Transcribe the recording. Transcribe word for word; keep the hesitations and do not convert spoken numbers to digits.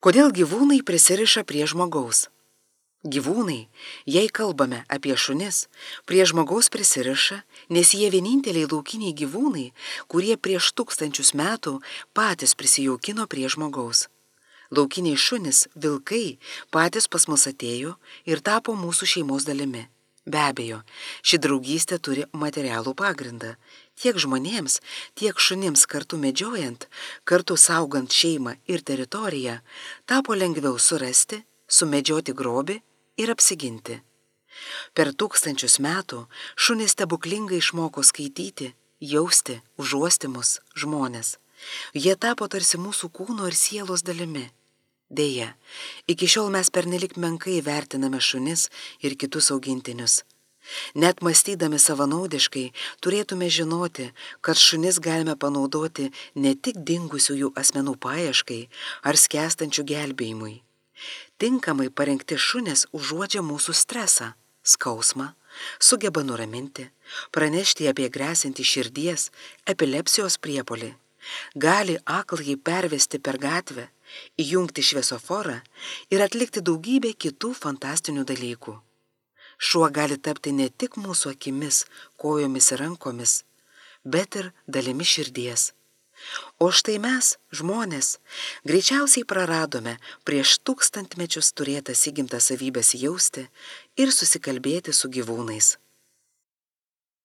Kodėl gyvūnai prisiriša prie žmogaus? Gyvūnai, jei kalbame apie šunis, prie žmogaus prisiriša, nes jie vieninteliai laukiniai gyvūnai, kurie prieš tūkstančius metų patys prisijaukino prie žmogaus. Laukiniai šunis, vilkai, patys pas mus atėjo ir tapo mūsų šeimos dalimi. Be abejo, ši draugystė turi materialų pagrindą. Tiek žmonėms, tiek šunims kartu medžiojant, kartu saugant šeimą ir teritoriją, tapo lengviau surasti, sumedžioti grobį ir apsiginti. Per tūkstančius metų šunys stebuklingai išmoko skaityti, jausti, užuosti mus, žmones. Jie tapo tarsi mūsų kūno ir sielos dalimi. Deja, iki šiol mes pernelik menkai vertiname šunis ir kitus augintinius. Net mąstydami savanaudiškai turėtume žinoti, kad šunis galime panaudoti ne tik dingusiųjų asmenų paieškai ar skęstančių gelbėjimui. Tinkamai parengti šunis užuodžia mūsų stresą, skausmą, sugeba nuraminti, pranešti apie grėsiantį širdies, epilepsijos priepuolį. Gali aklai pervesti per gatvę, įjungti šviesoforą ir atlikti daugybę kitų fantastinių dalykų. Šuo gali tapti ne tik mūsų akimis, kojomis ir rankomis, bet ir dalimi širdies. O štai mes, žmonės, greičiausiai praradome prieš tūkstantmečius turėtas įgimtas savybės jausti ir susikalbėti su gyvūnais.